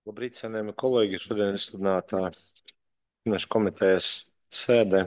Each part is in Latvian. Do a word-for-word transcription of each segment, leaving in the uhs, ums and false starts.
Labrīt, cienījami kolēģi. Šodien izsludinātā finanšu komitejas sēdē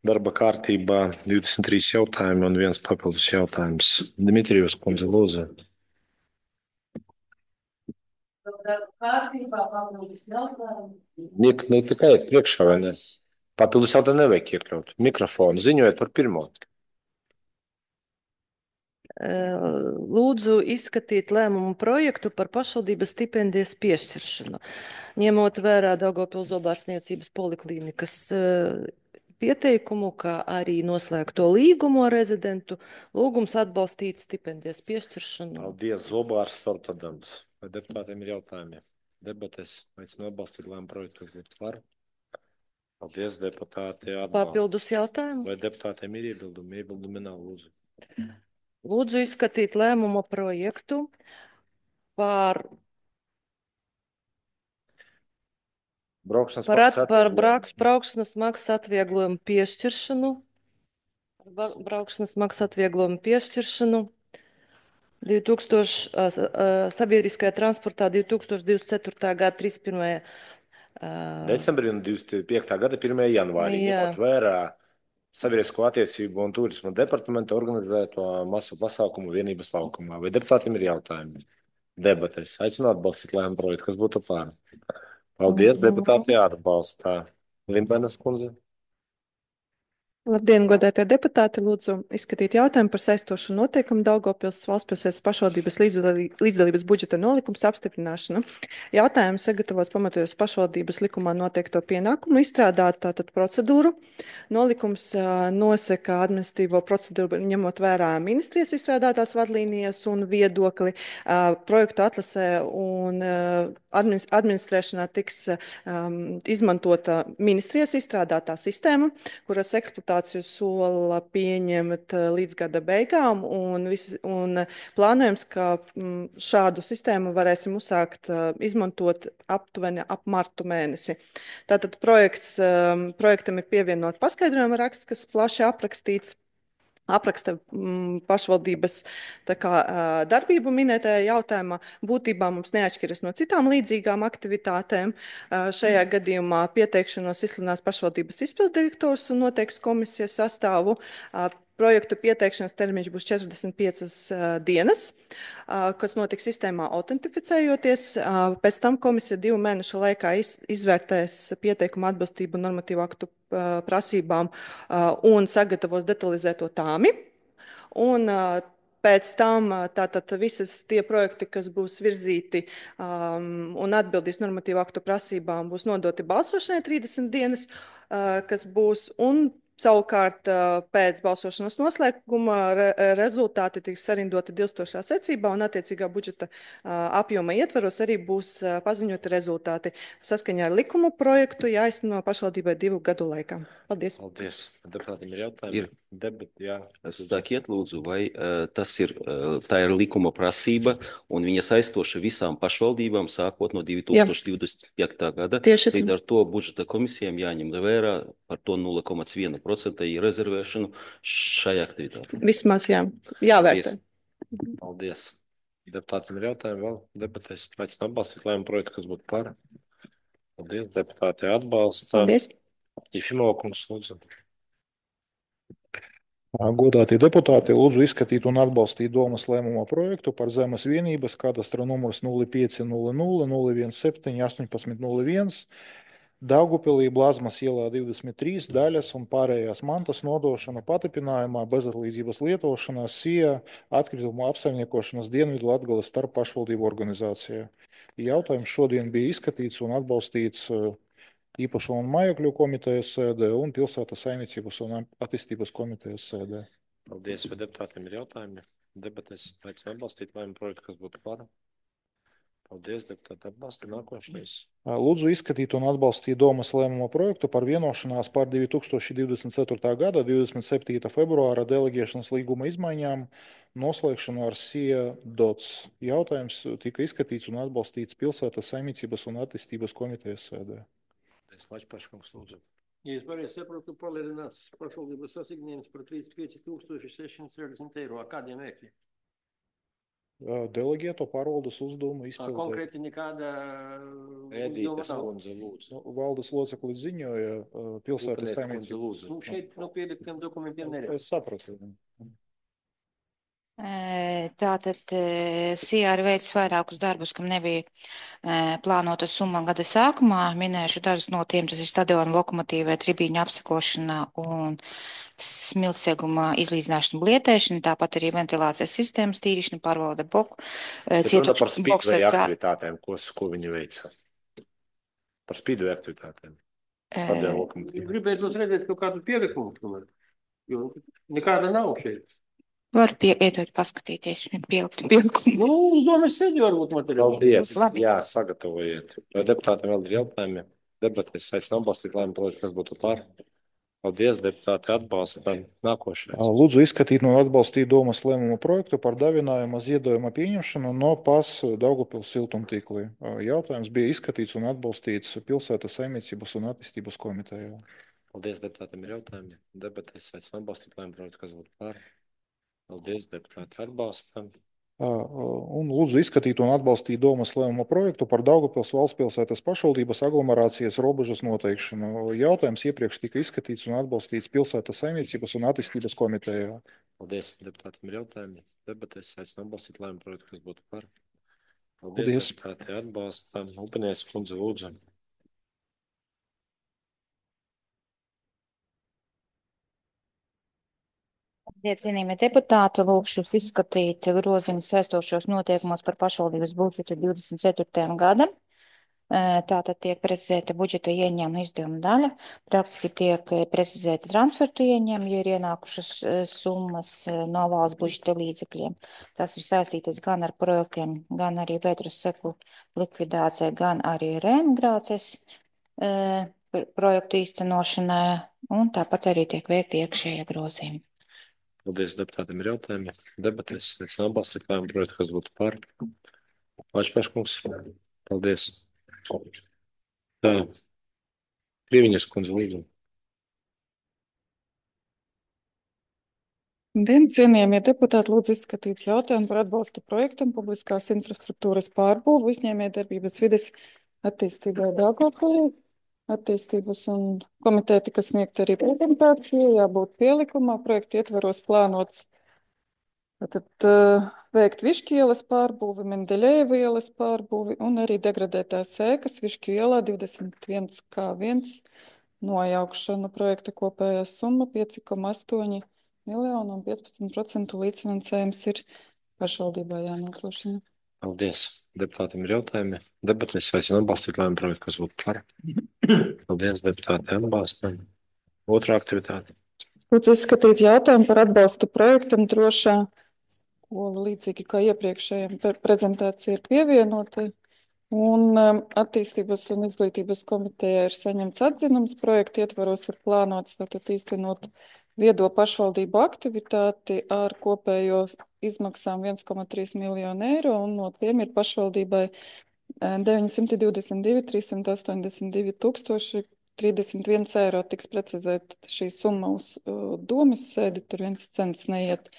darba kārtībā divdesmit trīs jautājumi un viens papildus jautājums. Dimitrijus kundze, lūdzu. Darba kārtībā papildus jautājumu. Nik, nu, tikai iet priekšā, vai ne? Papildus jautājumu nevajag iekļaut. Mikrofonu ziņojiet par pirmo. Lūdzu izskatīt lēmumu projektu par pašvaldības stipendijas piešķiršanu, ņemot vērā Daugavpils zobārstniecības poliklīnikas pieteikumu, kā arī noslēgto līgumu ar rezidentu. Lūgums atbalstīt stipendijas piešķiršanu. Paldies, Zobārs Tortodams. Vai deputātiem ir jautājumi? Debates, aicinu atbalstīt lēmumu projektu, kas būtu par. Paldies, deputāti. Atbalst. Papildus jautājumu. Vai deputātiem ir iebildumi? Iebildumi nav, lūdzu. Lūdzu izskatīt lēmumu projektu par Braukšanas Par, at, maksas par atvieglojumu. brauks, braukšanas maksas atvieglojumu piešķiršanu. Ba- Braukšanas maksas atvieglojumu piešķiršanu. divi tūkstoši, a, a, sabiedriskajā transportā divi tūkstoši divdesmit ceturtā gada trīsdesmit pirmajā Decembrī un divdesmit piektā gada pirmajā janvārī, Jā. ņemot vērā Sabiedrisko attiecību un turisma departamenta organizēto masu pasākumu vienības laukumā. Vai deputātiem ir jautājumi? Debates. Aicinu atbalstīt lēmumu projektu, kas būtu pār. Paldies, Mhm. deputāti atbalstā. Limbenes kundze. Labdien, godētie deputāti! Lūdzu izskatīt jautājumu par saistošu noteikumu Daugavpils valstspilsētas pašvaldības līdzdalī- līdzdalības budžeta nolikums apstiprināšanu. Jautājums sagatavots pamatojas pašvaldības likumā noteikto pienākumu izstrādāt tātad procedūru. Nolikums ā, nosaka administratīvo procedūru, ņemot vērā ministrijas izstrādātās vadlīnijas un viedokli. Ā, Projektu atlasē un ā, administ- administrēšanā tiks um, izmantota ministrijas izstrādātā sistēma, kuras eksploatāciju sola pieņemt eh, līdz gada beigām, un, vis, un plānojams, ka mm, šādu sistēmu varēsim uzsākt eh, izmantot aptuveni ap martu mēnesi. Tātad projekts, eh, projektam ir pievienot paskaidrojuma raksts, kas plaši aprakstīts. Apraksta mm, pašvaldības tā kā, ā, darbību minētajā jautājumā. Būtībā mums neatšķiras no citām līdzīgām aktivitātēm. Ā, Šajā gadījumā pieteikšanos izsludinās pašvaldības izpilddirektors un noteiks komisijas sastāvu. Ā, Projektu pieteikšanas termiņš būs četrdesmit piecas ā, dienas, ā, kas notiks sistēmā autentificējoties. Ā, Pēc tam komisija divu mēnešu laikā iz, izvērtēs pieteikumu atbilstību normatīvu aktu ā, prasībām ā, un sagatavos detalizēto tāmi. Un ā, pēc tam ā, tātad visas tie projekti, kas būs virzīti um, un atbildīs normatīvu aktu prasībām, būs nodoti balsošanai trīsdesmit dienas, ā, kas būs un savukārt ā, pēc balsošanas noslēguma re, rezultāti tiks sarindoti dilstošā secībā un attiecīgā budžeta ā, apjoma ietvaros arī būs ā, paziņoti rezultāti. Saskaņā ar likumu projektu jāizteno pašvaldībai divu gadu laikā. Paldies! Paldies. Deputātiem ir jautājumi? Ir. Debat, jā. Sakiet, lūdzu, vai uh, tas ir, uh, tā ir likuma prasība un viņa saistoša visām pašvaldībām sākot no divi tūkstoši divdesmit piektā gada. Tieši Līdz ar to budžeta komisijām jāņem vērā par to nulle komats viena procenta rezervēšanu šai aktivitātei. Vismaz jā, jāvērtē. Paldies. Paldies. Deputātiem ir jautājumi vēl? Debatēs. Aicinu atbalstīt lēmumu projektu, kas būtu par. Paldies, deputāti atbalsta. Paldies! Jefimova kungs, lūdzu. Godātie deputāti, lūdzu izskatīt un atbalstīt domas lēmuma projektu par zemes vienības kadastra numurs nulle pieci nulle nulle nulle septiņdesmit astoņpadsmit nulle viens Daugupilī Blazmas ielā divdesmit trīs daļas un pārējās mantas nodošana patipinājumā bezatlīdzības lietošanā SIA atkritumu apsaimniekošanas Dienvidu Latgales starp pašvaldību organizācijā. Jautājums šodien bija izskatīts un atbalstīts īpašo un mājokļu komitejas sēdē un pilsētas saimniecības un attīstības komitejas sēdē. Paldies, vai deputātiem ir jautājumi? Debatēs aicinu atbalstīt lēmumu projektu, kas būtu par. Paldies, deputāti atbalsta. Nākošais. Lūdzu izskatīt un atbalstīt domas lēmuma projektu par vienošanās par divi tūkstoši divdesmit ceturtā gada divdesmit septītā februāra deleģēšanas līguma izmaiņām noslēgšanu ar SIA dots. Jautājums tika izskatīts un atbalstīts pilsētas saimniecības un attīstības komitejas sēdē. Lačpaškungs, lūdzu. Ja es pareizi saprotu, palielināts pašvaldības asignējums par trīsdesmit pieci tūkstoši sešsimt sešdesmit eiro. Ar kādiem mērķiem? Deleģēto pārvaldes uzdevumu Ā, izpildēt. Konkrēti nekāda Ēdītes uzdevuma nav. kundze, lūdzu. Nu, valdes loceklis ziņoja uh, pilsētas Upinieka kundze, saimniecības. lūdzu. Nu, šeit no pieliktiem dokumentiem neredz. Es sapratu. Eh, Tātad eh, S I A ir veicis vairākus darbus, kam nebija eh, plānota summa gada sākumā. Minēšu dažus no tiem. Tas ir stadiona lokomotīvai, tribīņu apsakošana un smiltseguma izlīdzināšana, blietēšana, tāpat arī ventilācijas sistēmas tīrīšana, pārvalde boku. eh, Te runa par cietukšu spīdveja boksers, aktivitātēm, ko, ko viņi veica. Par spīdveja aktivitātēm. eh, Stadiona lokomotīva. Gribētu redzēt kaut kādu pielikumu, tomēr, jo nekāda nav šeit. Varu pie, iedot paskatīties, pielikt pielikumu. Nu, uz domas sēdi varbūt materiāli. Paldies. Labi. Jā, sagatavojiet. Vai deputātiem vēl ir jautājumi? Debatēs aicinu atbalstīt lēmumu projektu, kas būtu par. Paldies, deputāti, atbalstam. Nākošais. Lūdzu izskatīt un atbalstīt domas lēmumu projektu par dāvinājuma ziedojuma pieņemšanu no P A S Daugavpils siltumtīklī. Jautājums bija izskatīts un atbalstīts pilsētas saimniecības un attīstības komitejā. Paldies, deputātiem ir jautājumi. Debatēs aicinu atbalstīt lēmumu projektu, kas būtu par. Paldies, deputāti, atbalstam. Un lūdzu izskatīt un atbalstīt domas lēmumu projektu par Daugavpils valsts pilsētas pašvaldības aglomerācijas robežas noteikšanu. Jautājums iepriekš tika izskatīts un atbalstīts pilsētas saimniecības un attīstības komitejā. Paldies, deputātiem ir jautājumi. Debatēs aicinu atbalstīt lēmumu projektu, kas būtu par. Paldies, Paldies. deputāti, atbalstam. Upinieks kundze, lūdzu. Cienījamie deputāti, lūkšu jūs izskatīt grozījumus saistošos noteikumos par pašvaldības budžetu divdesmit ceturtajam gadam. Eh, Tātad tiek precizēta budžeta ieņēmuma izdevuma daļa. Praktiski tiek eh, precizēta transfertu ieņēmumi, ja ir ienākušas eh, summas eh, no valsts budžeta līdzekļiem. Tas ir saistītas gan ar projektiem, gan arī Pētras seku likvidācijai, gan arī reemigrācijas eh, pr- projektu īstenošanai, un tāpat arī tiek veikti iekšējie grozījumi. Paldies, deputātiem ir jautājumi. Debatēs aicinu atbalstīt lēmumu projektu, kas būtu par. Vaļšpēškungs. Paldies. Tā. Krīviņas kundze, lūdzu. Dien, cienījamie deputāti, lūdzu izskatīt jautājumu par atbalstu projektam publiskās infrastruktūras pārbūvu uzņēmējdarbības vides attīstībai Daugavpilī. Attīstības un komiteja tika sniegta arī prezentācija, jābūt pielikumā. Projekta ietvaros plānots Tad uh, veikt Višķu ielas pārbūvi, Mendeļejeva ielas pārbūvi un arī degradētās ēkas Višķu ielā divdesmit viens kā viens nojaukšanu. Projekta kopējā summa pieci koma astoņi miljoni un piecpadsmit procentu līdzfinansējums ir pašvaldībā jānodrošina. Paldies. Deputātiem ir jautājumi. Debatēs aicinu atbalstīt lēmumu projektu, kas būtu par. Paldies, deputāti, atbalstam. Otrā aktivitāte. Lūdzu izskatīt jautājumu par atbalstu projektam drošā skola, līdzīgi kā iepriekšējiem pre- prezentācija ir pievienota. Un um, attīstības un izglītības komitejā ir saņemts atzinums. Projekta ietvaros ir plānots tātad īstenot viedo pašvaldību aktivitāti ar kopējo izmaksām viens koma trīs miljonu eiro, un no tiem ir pašvaldībai eh, deviņsimt divdesmit divi, trīssimt astoņdesmit divi tūkstoši trīsdesmit viens eiro. Tiks precizēta šī summa uz uh, domas sēdi, tur viens cents neiet.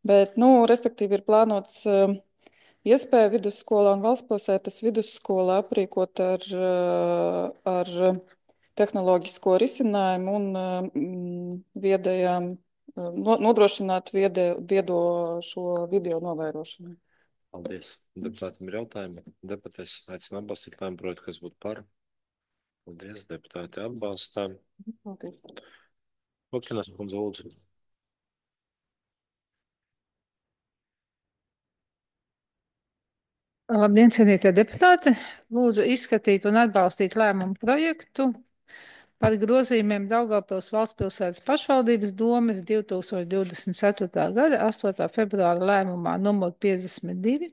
Bet, nu, respektīvi ir plānots uh, iespēja vidusskolā un valstspilsētas vidusskolā aprīkot ar, uh, ar tehnoloģisko risinājumu un uh, mm, viedajām, uh, no- nodrošināt viede, viedo šo video novērošanu. Paldies. Deputātiem ir jautājumi. Debatēs aicinu atbalstīt lēmumu projektu, kas būtu par. Paldies, deputāti, atbalstām. Paldies. Lukinas kundze, lūdzu. Labdien, cienītie deputāti! Lūdzu izskatīt un atbalstīt lēmumu projektu par grozījumiem Daugavpils valstspilsētas pašvaldības domes divi tūkstoši divdesmit ceturtā gada astotā februāra lēmumā numur piecdesmit divi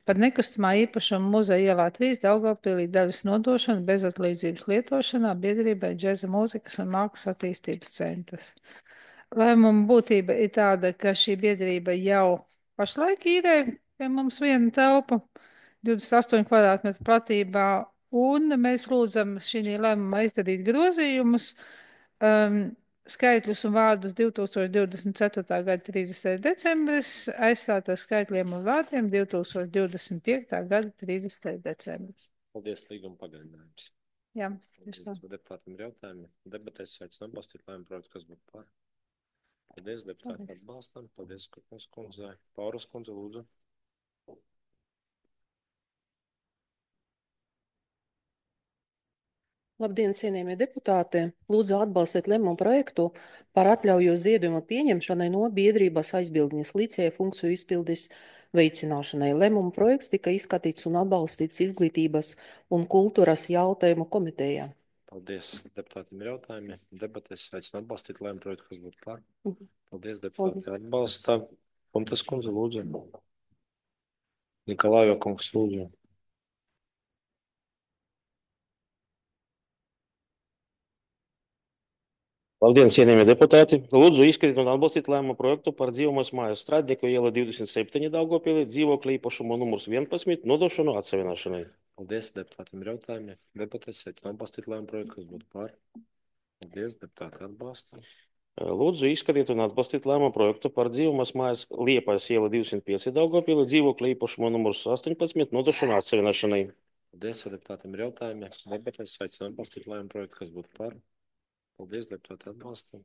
par nekustamā īpašuma muzeja ielā trīs Daugavpilī daļas nodošanu bezatlīdzības lietošanā biedrībai Džeza mūzikas un mākslas attīstības centrs. Lēmuma būtība ir tāda, ka šī biedrība jau pašlaik īrē pie mums vienu telpu divdesmit astoņu kvadrātmetru platībā, un mēs lūdzam šī lēmumā izdarīt grozījumus, um, skaitļus un vārdus divtūkstoš divdesmit ceturtā gada trīsdesmitais decembris, aizstāt ar skaitļiem un vārdiem divtūkstoš divdesmit piektā gada trīsdesmitais decembris. Paldies, līguma pagarinājums. Jā, tieši tā. Paldies, deputātiem ir jautājumi. Debatēs aicinu atbalstīt lēmumu projektu, kas būtu par. Paldies, deputāti Paldies. atbalstam. Paldies, Kurpnes kundzei. Pauras kundze, lūdzu. Labdien, cienījamie deputāti! Lūdzu atbalstīt lēmumu projektu par atļauju ziedojuma pieņemšanai no biedrības aizbildņas līdzēja funkciju izpildes veicināšanai. Lēmumu projekts tika izskatīts un atbalstīts izglītības un kultūras jautājumu komitejā. Paldies, deputātiem ir jautājumi. Debatēs aicinu atbalstīt lēmumu projektu, kas būtu par. Mhm. Paldies, deputāti atbalsta. Kurpnes kundze, lūdzu. Nikolājo kungs, lūdzu. Labdien, cienījamie deputāti! Lūdzu izskatīt un atbalstīt lēmumu projektu par dzīvojamās mājas Strādnieku iela divdesmit septiņi Daugavpilī, dzīvokļa īpašuma numurs vienpadsmit, nodošanu atsavināšanai. Paldies, deputātiem ir jautājumi. Debatēs aicinu atbalstīt lēmumu projektu, kas būtu par. Paldies, deputāti atbalsta. Lūdzu izskatīt un atbalstīt lēmumu projektu par dzīvojamās mājas Liepājas iela divsimt pieci Daugavpilī, dzīvokļa īpašuma numurs astoņpadsmit, nodošanu atsavināšanai. Paldies, deputātiem ir jautājumi. Debatēs aicinu atbalstīt lēmumu projektu, kas būtu par. Paldies, deputāti atbalsta.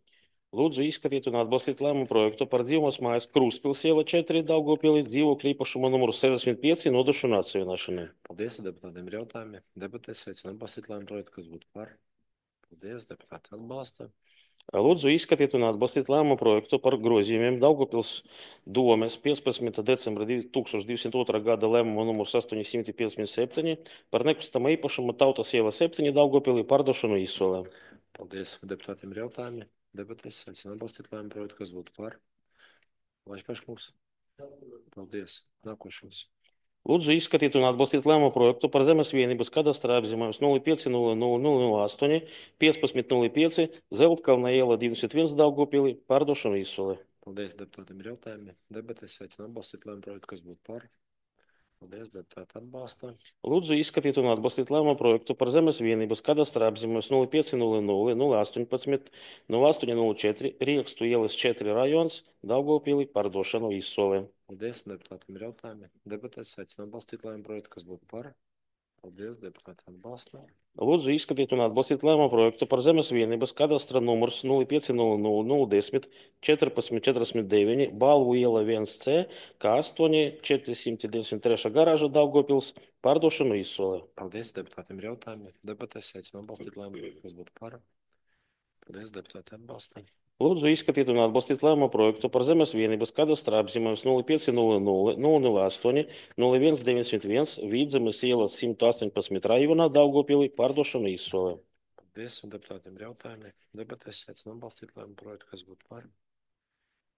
Lūdzu izskatīt un atbalstīt lēmumu projektu par dzīvojamās mājas Krustpils iela četri Daugavpilī, dzīvokļa īpašuma numuru sešdesmit pieci, nodošanu atsavināšanai. Paldies, deputātiem ir jautājumi. Debatēs aicinu atbalstīt lēmumu projektu, kas būtu par. Paldies, deputāti atbalsta. Lūdzu izskatīt un atbalstīt lēmumu projektu par grozījumiem Daugavpils domes piecpadsmitā decembra divi tūkstoši divsimt otrā gada lēmumu numurs astoņsimt piecdesmit septiņi par nekustamā īpašuma Tautas iela septiņi Daugavpilī pārdošanu izsolē. Paldies, deputātiem ir jautājumi. Debatēs aicinu atbalstīt lēmumu projektu, kas būtu par. Vaļpaškungs. Paldies. Nākošais. Lūdzu izskatīt un atbalstīt lēmumu projektu par zemes vienības kadastrā apzīmējums nulle pieci nulle nulle nulle astoņi piecpadsmit nulle pieci Zeltkalna iela divdesmit viens Daugavpilī pārdošanu izsolē. Paldies, deputātiem ir jautājumi. Debatēs aicinu atbalstīt lēmumu projektu, kas būtu par. Paldies, deputāti atbalsta. Lūdzu izskatīt un atbalstīt lēmumu projektu par zemes vienības kadastrā apzīmējums nulle pieci nulle nulle nulle astoņpadsmit nulle astoņi nulle četri Riekstu ielas četri rajons Daugavpilī pārdošanu izsolē. Paldies, deputātiem ir jautājumi. Debatēs aicinu atbalstīt lēmumu projektu, kas būtu par. Paldies, deputāti atbalsta. Lūdzu izskatīt un atbalstīt lēmumu projektu par zemes vienības kadastra numurs nulle pieci nulle nulle nulle desmit četrpadsmit četrdesmit deviņi Balvu iela viens C K astoņi četrsimt divdesmit trīs garāža Daugavpils pārdošanu izsolē. Paldies, deputātiem ir jautājumi. Debatēs aicinu atbalstīt lēmumu projektu, kas būtu par. Paldies, deputāti atbalsta. Lūdzu izskatīt un atbalstīt lēmumu projektu par zemes vienības kadastra apzīmējums nulle pieci nulle nulle nulle astoņi nulle viens deviņdesmit viens Vidzemes ielas simt astoņpadsmit rajonā Daugavpilī pārdošanu izsolē. Paldies, un deputātiem ir jautājumi. Debatēs aicinu atbalstīt lēmumu projektu, kas būtu par.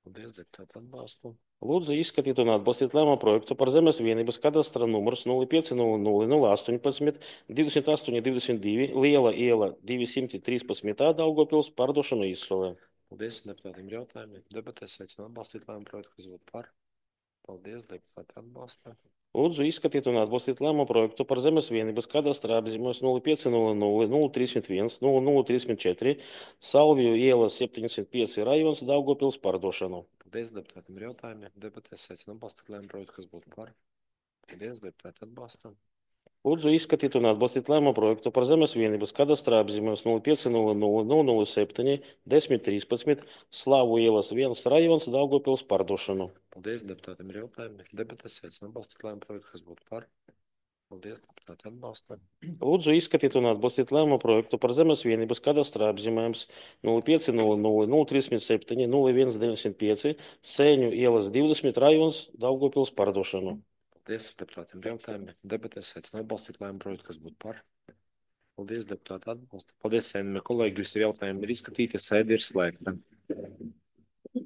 Paldies, deputāti atbalsta. Lūdzu izskatīt un atbalstīt lēmumu projektu par zemes vienības kadastra numurs nulle pieci nulle nulle nulle astoņpadsmit divdesmit astoņi divdesmit divi Liela iela divsimt trīspadsmit Daugavpils pārdošanu izsolē. Paldies, deputātiem ir jautājumi. Debatēs aicinu atbalstīt lēmumu projektu, kas būtu par. Paldies, deputāti atbalsta. Lūdzu izskatīt un atbalstīt lēmumu projektu par zemes vienības kadastra apzīmējums nulle pieci nulle nulle nulle trīsdesmit viens nulle nulle trīsdesmit četri Salviju ielas septiņdesmit pieci rajons Daugavpils pārdošanu. Paldies, deputātiem ir jautājumi. Debatēs aicinu atbalstīt lēmumu projektu, kas būtu par. Paldies, deputāti atbalsta. Lūdzu izskatīt un atbalstīt lēmumu projektu par zemes vienības kadastra apzīmējums nulle pieci nulle nulle nulle nulle septiņi desmit trīspadsmit Slavu ielas viens rajons Daugavpils pārdošanu. Paldies, deputātiem ir jautājumi. Debatēs aicinu atbalstīt lēmumu projektu, kas būtu par. Paldies, deputāti atbalsta. Lūdzu izskatīt un atbalstīt lēmumu projektu par zemes vienības kadastra apzīmējums nulle pieci nulle nulle nulle trīsdesmit septiņi nulle viens deviņdesmit pieci Sēņu ielas divdesmit rajons Daugavpils pārdošanu. Paldies, deputātiem ir jautājumi. Debatēs aicinu atbalstīt lēmumu projektu, kas būtu par. Paldies, deputāti atbalsta. Paldies, kolēģi, visi jautājumi ir izskatīti, sēde ir slēgta.